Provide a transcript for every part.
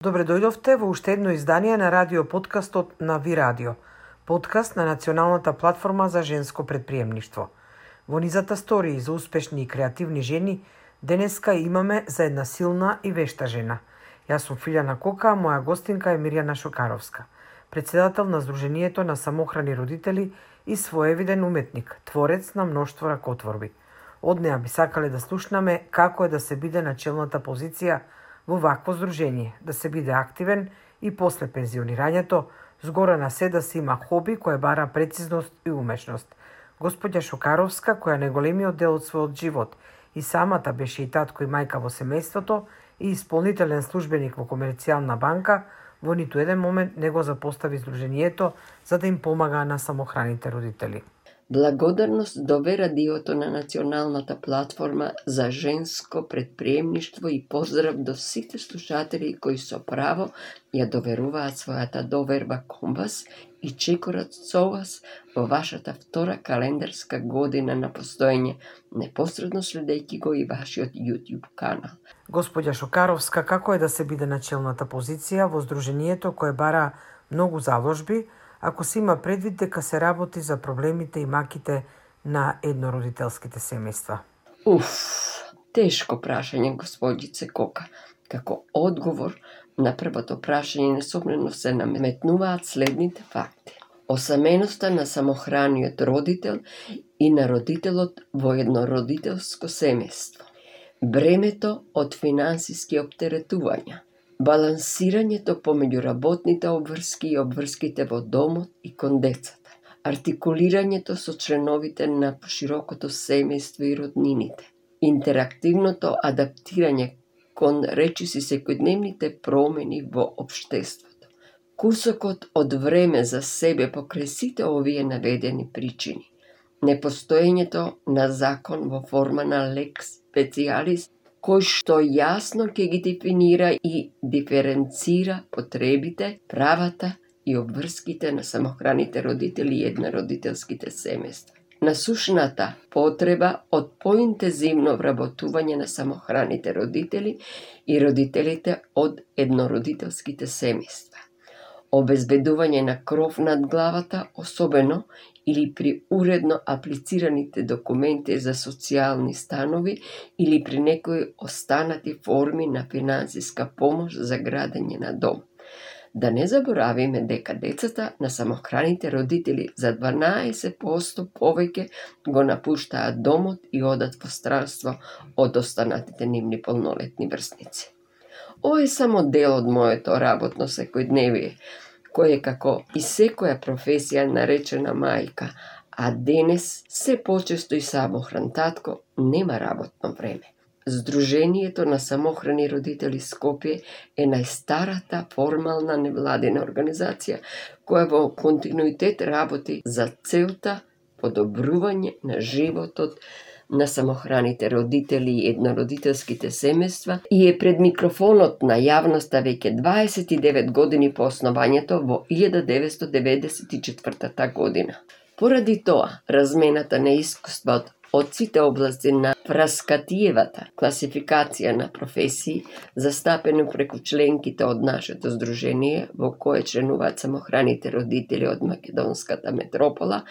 Добре дојдовте во уште едно издание на радио подкастот на Ви Радио, подкаст на Националната платформа за женско предприемништво. Во низата стории за успешни и креативни жени, денеска имаме за една силна и вешта жена. Јас сум Филјана Кока, а моја гостинка е Мирјана Шокаровска, председател на Сдруженијето на самохрани родители и своевиден уметник, творец на мноштво ракотворби. Од неа би сакале да слушнаме како е да се биде на челната позиција во вакво здружение, да се биде активен и после пензионирањето, згора на се да се има хоби кое бара прецизност и умешност. Господја Шокаровска, која неголемиот дел од својот живот и самата беше и татко и мајка во семејството и исполнителен службеник во Комерцијална банка, во ниту еден момент не го запостави здруженијето за да им помага на самохраните родители. Благодарност до Ве Радиото на Националната платформа за женско предприемништво и поздрав до сите слушатели кои со право ја доверуваат својата доверба кон вас и чекорат со вас во вашата втора календарска година на постоење, непосредно следејќи го и вашиот YouTube канал. Господја Шокаровска, како е да се биде на челната позиција во здруженијето кое бара многу заложби, ако се има предвид дека се работи за проблемите и маките на еднородителските семејства? Тешко прашање, господице Кока. Како одговор на првото прашање несомнено се наметнуваат следните факти. Осаменоста на самохраниот родител и на родителот во еднородителско семејство. Бремето од финансиски оптеретувања. Балансирањето помеѓу работните обврски и обврските во домот и кон децата. Артикулирањето со членовите на поширокото семејство и роднините. Интерактивното адаптирање кон речиси секојдневните промени во општеството. Кусокот од време за себе покрај сите овие наведени причини. Непостоењето на закон во форма на лекс специјалис кој што јасно ќе ги дефинира и диференцира потребите, правата и обврските на самохраните родители и еднородителските семејства. Насушната потреба од поинтензивно вработување на самохраните родители и родителите од еднородителските семејства. Обезбедување на кров над главата, особено или при уредно аплицираните документи за социјални станови или при некои останати форми на финансиска помош за градење на дом. Да не заборавиме дека децата на самохраните родители за 12% повеќе го напуштаат домот и одат во странство од останатите нивни полнолетни врсници. Ова е само дел од моето работно секојдневие, кој е како и секоја професија наречена мајка, а денес се почесто и самохран татко, нема работно време. Сдруженијето на самохрани родители Скопје е најстарата формална невладина организација која во континуитет работи за целта подобрување на животот на самохраните родители и еднородителските семејства и е пред микрофонот на јавноста веќе 29 години по основањето во 1994 година. Поради тоа, размената на искуства од сите области на Фраскатиевата класификација на професии, застапено преку членките од нашето здружение, во кое членуваат самохраните родители од македонската метропола,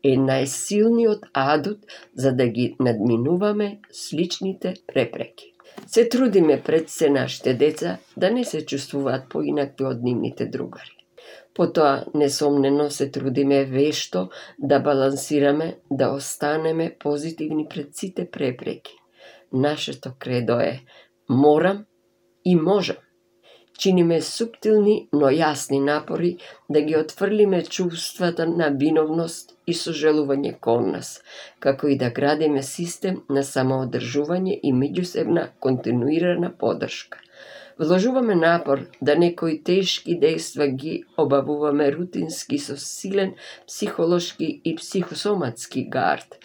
е најсилниот адут за да ги надминуваме сличните препреки. Се трудиме пред се нашите деца да не се чувствуваат поинакви од нивните другари. Потоа, несомнено, се трудиме вешто да балансираме, да останеме позитивни пред сите препреки. Нашето кредо е морам и можам. Чиниме суптилни, но јасни напори да ги отфрлиме чувствата на виновност и сожалување кон нас, како и да градиме систем на самоодржување и меѓусебна континуирана поддршка. Вложуваме напор да некои тешки дејства ги обавуваме рутински со силен психолошки и психосоматски гард,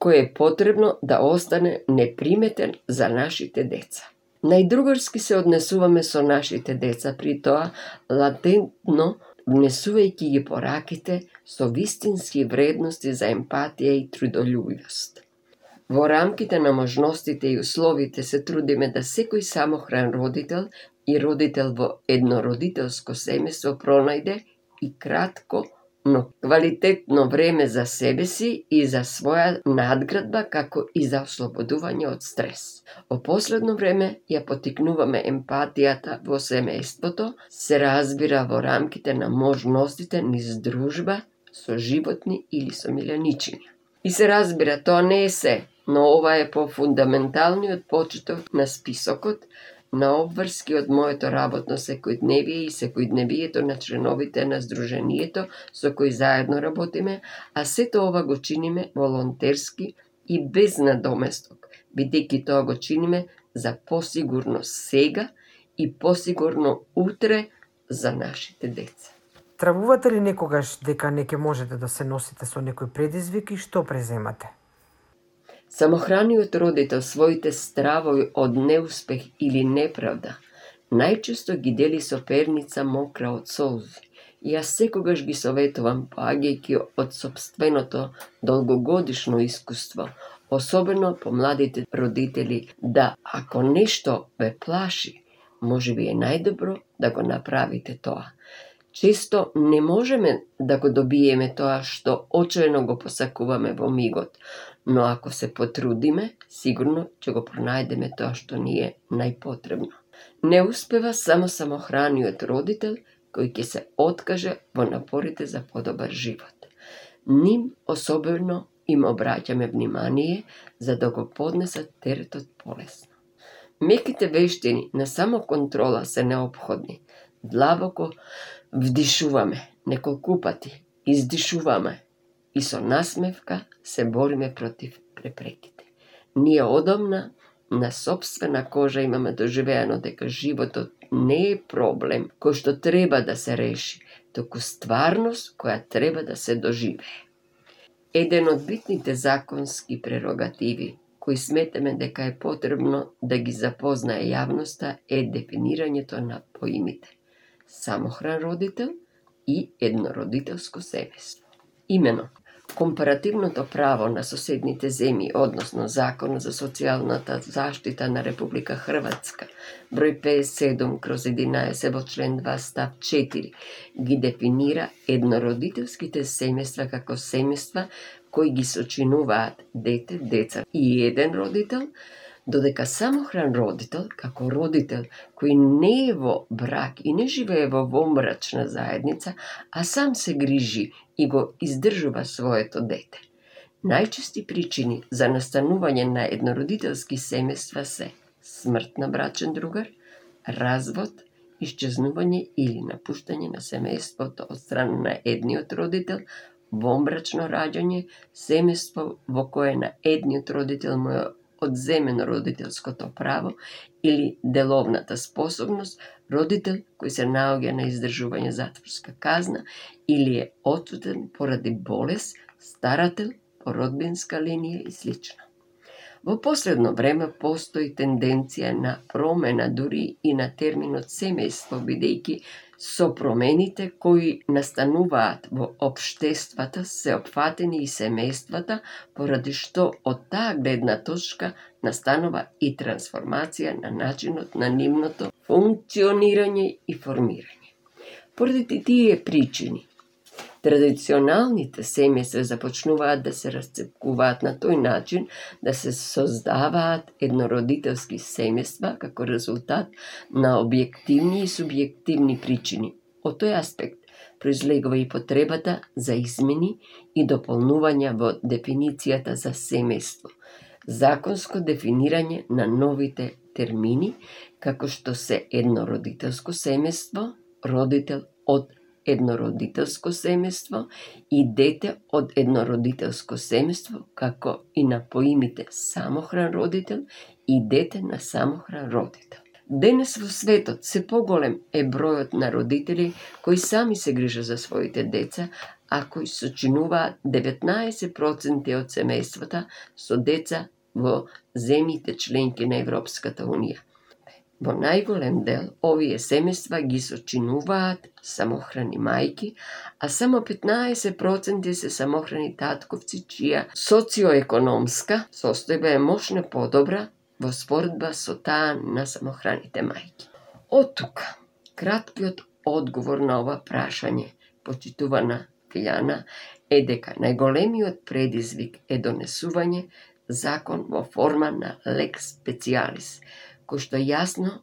кој е потребно да остане неприметен за нашите деца. Најдругарски се однесуваме со нашите деца, при тоа латентно внесувајќи ги пораките со вистински вредности за емпатија и трудолюбивост. Во рамките на можностите и условите се трудиме да секој самохран родител и родител во еднородителско семејство пронајде и кратко, но квалитетно време за себе си и за своја надградба, како и за ослободување од стрес. Во последно време ја потикнуваме емпатијата во семејството, се разбира во рамките на можностите низ дружба со животни или со миленичиња. И се разбира, тоа не е се, но ова е пофундаменталниот почеток на списокот на обврски од моето работно секојдневие и секојдневието на членовите на Сдруженијето со кои заедно работиме, а сето ова го чиниме волонтерски и без надоместок, бидејќи тоа го чиниме за посигурно сега и посигурно утре за нашите деца. Травувате ли некогаш дека не ќе можете да се носите со некој предизвик и што преземате? Самохраниот родител своите стравови од неуспех или неправда најчесто ги дели со перница мокра од солзи. Јас секогаш ги советувам, поаѓајќи од сопственото долгогодишно искуство, особено по младите родители, да ако нешто ве плаши, можеби е најдобро да го направите тоа. Често не можеме да го добиеме тоа што очаено го посакуваме во мигот, но ако се потрудиме, сигурно ќе го пронајдеме тоа што ни е најпотребно. Не успева само самохраниот родител кој ќе се откаже во напорите за подобар живот. Ним особено им обраќаме внимание за да го поднесат теретот полесно. Меките вештини на самоконтрола се неопходни. Длабоко вдишуваме неколку пати, издишуваме и со насмевка се бориме против препреките. Ние одамна на собствена кожа имаме доживеано дека животот не е проблем кој што треба да се реши, туку стварност која треба да се доживее. Еден од битните законски прерогативи кои сметаме дека е потребно да ги запознае јавноста е дефинирањето на поимите самохран родител и еднородителско семејство. Имено, компаративното право на соседните земји, односно Законот за социјалната заштита на Република Хрватска, број 57/11 во член 2 став 4, ги дефинира еднородителските семејства како семејства кои ги сочинуваат дете, деца и еден родител, додека самохран родител, како родител кој не е во брак и не живее во вонбрачна заедница, а сам се грижи и го издржува своето дете. Најчести причини за настанување на еднородителски семејства се смрт на брачен другар, развод, исчезнување или напуштање на семејството од страна на едниот родител, вонбрачно раѓање, семејство во кое на едниот родител му е одземено родителското право или деловната способност, родител кој се наоѓа на издржување затворска казна или е отсутен поради болест, старател по родбинска линија и слично. Во последно време постои тенденција на промена дури и на терминот семејство, бидејќи со промените кои настануваат во општествата се опфатени и семејствата, поради што од таа гледна точка настанува и трансформација на начинот на нивното функционирање и формирање. Поради тие причини, традиционалните семејства започнуваат да се расцепкуваат на тој начин да се создаваат еднородителски семејства како резултат на објективни и субјективни причини. Од тој аспект произлегува и потребата за измени и дополнувања во дефиницијата за семејство, законско дефинирање на новите термини, како што се еднородителско семејство, родител од еднородителско семејство и дете од еднородителско семејство, како и на поимите самохран родител и дете на самохран родител. Денес во светот се поголем е бројот на родители кои сами се грижат за своите деца, а кои сочинуваат 19% од семејствата со деца во земјите членки на Европската унија. Во најголем дел овие семејства ги сочинуваат самохрани мајки, а само 15% се самохрани татковци чија социоекономска состојба е мошно подобра во споредба со таа на самохраните мајки. Од тука, краткиот одговор на ова прашање, почитувана Тијана, е дека најголемиот предизвик е донесување закон во форма на лекс специјалис, кој што јасно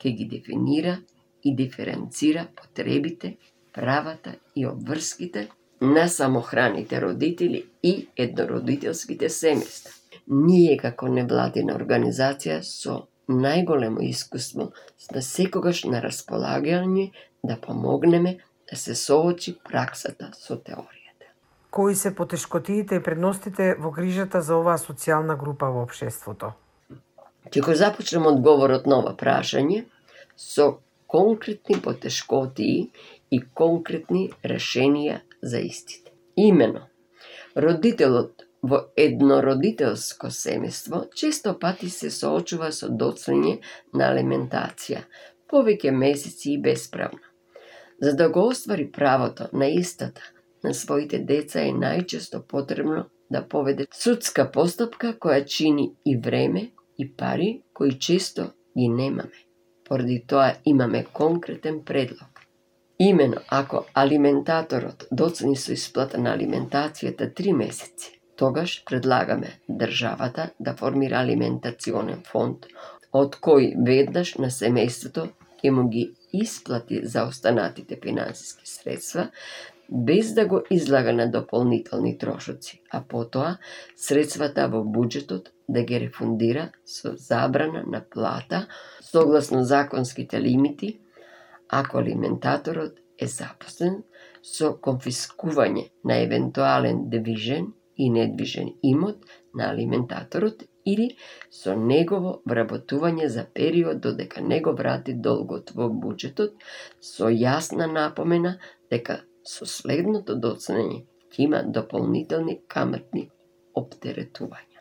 ќе ги дефинира и диференцира потребите, правата и обврските на самохраните родители и еднородителските семејства. Ние како невладина организација со најголемо искуство сме секогаш на располагање да помогнеме да се соочи праксата со теоријата. Кои се потешкотиите и предностите во грижата за оваа социјална група во општеството? Ќе го започнем одговорот на ова прашање со конкретни потешкотии и конкретни решенија за истите. Имено, родителот во еднородителско семејство често пати се соочува со доцнење на алиментација, повеќе месеци и бесправно. За да го оствари правото на истата на своите деца е најчесто потребно да поведе судска постапка која чини и време и пари кои често ги немаме. Поради тоа имаме конкретен предлог. Имено, ако алиментаторот доцни со исплата на алиментацијата 3 месеци, тогаш предлагаме државата да формира алиментационен фонд, од кој веднаш на семејството ќе му ги исплати за останатите финансиски средства, без да го излага на дополнителни трошоци, а потоа средствата во буџетот да ги рефундира со забрана на плата согласно законските лимити, ако алиментаторот е запослен, со конфискување на евентуален движен и недвижен имот на алиментаторот или со негово вработување за период додека не го врати долгот во буџетот, со јасна напомена дека со следното доцнење ќе има дополнителни каматни оптеретувања.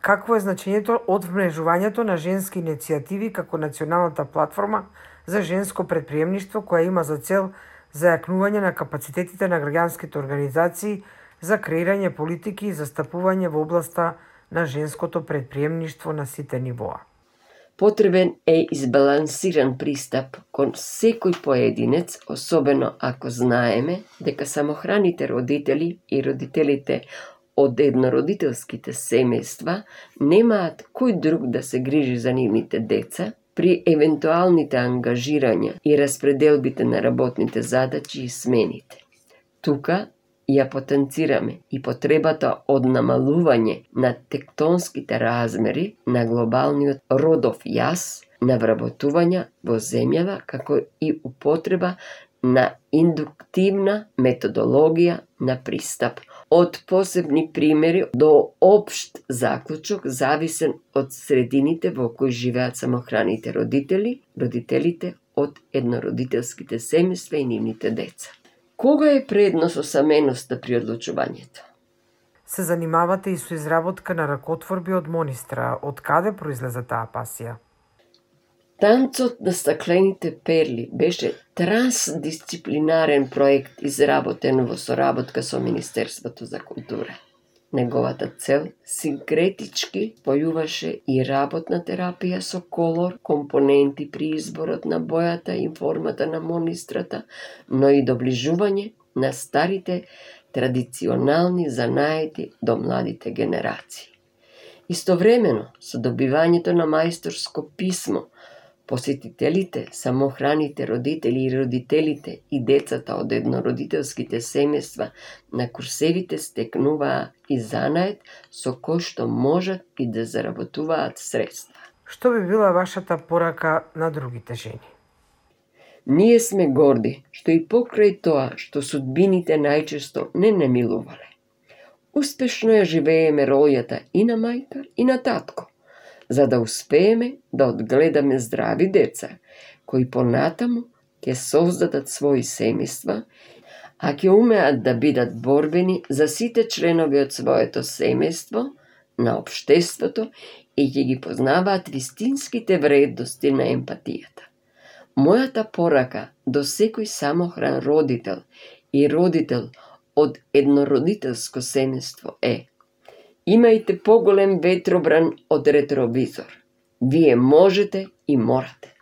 Какво е значењето од вмрежувањето на женски иницијативи како националната платформа за женско предприемништво која има за цел зајакнување на капацитетите на граѓанските организации за креирање политики и застапување во областа на женското предприемништво на сите нивоа? Потребен е избалансиран пристап кон секој поединец, особено ако знаеме дека самохраните родители и родителите од еднородителските семејства немаат кој друг да се грижи за нивните деца при евентуалните ангажирања и распределбите на работните задачи и смените. Тука ја потенцираме и потребата од намалување на тектонските размери на глобалниот родов јас на вработувања во земјава, како и употреба на индуктивна методологија на пристап, од посебни примери до општ заклучок зависен од средините во кои живеат самохраните родители, родителите од еднородителските семејства и нивните деца. Кога е предност осаменоста при одлучувањето? Се занимавате и со изработка на ракотворби од монистра. Од каде произлезе таа пасија? Танцот на стаклените перли беше трансдисциплинарен проект изработен во соработка со Министерството за култура. Неговата цел синкретички појуваше и работна терапија со колор, компоненти при изборот на бојата и формата на монистрата, но и доближување на старите традиционални занаети до младите генерации. Истовремено, со добивањето на мајсторско писмо, посетителите, самохраните родители и родителите и децата од еднородителските семејства на курсевите стекнуваа и занаед со кој што можат и да заработуваат средства. Што би била вашата порака на другите жени? Ние сме горди што и покрај тоа што судбините најчесто не немилувале. Успешно ја живееме рољата и на мајка и на татко, за да успееме да одгледаме здрави деца, кои понатаму ќе создадат своји семејства, а ќе умеат да бидат борбени за сите членови од своето семејство, на општеството и ќе ги познаваат вистинските вредности на емпатијата. Мојата порака до секој самохран родител и родител од еднородителско семејство е: имајте поголем ветробран од ретровизор. Вие можете и морате.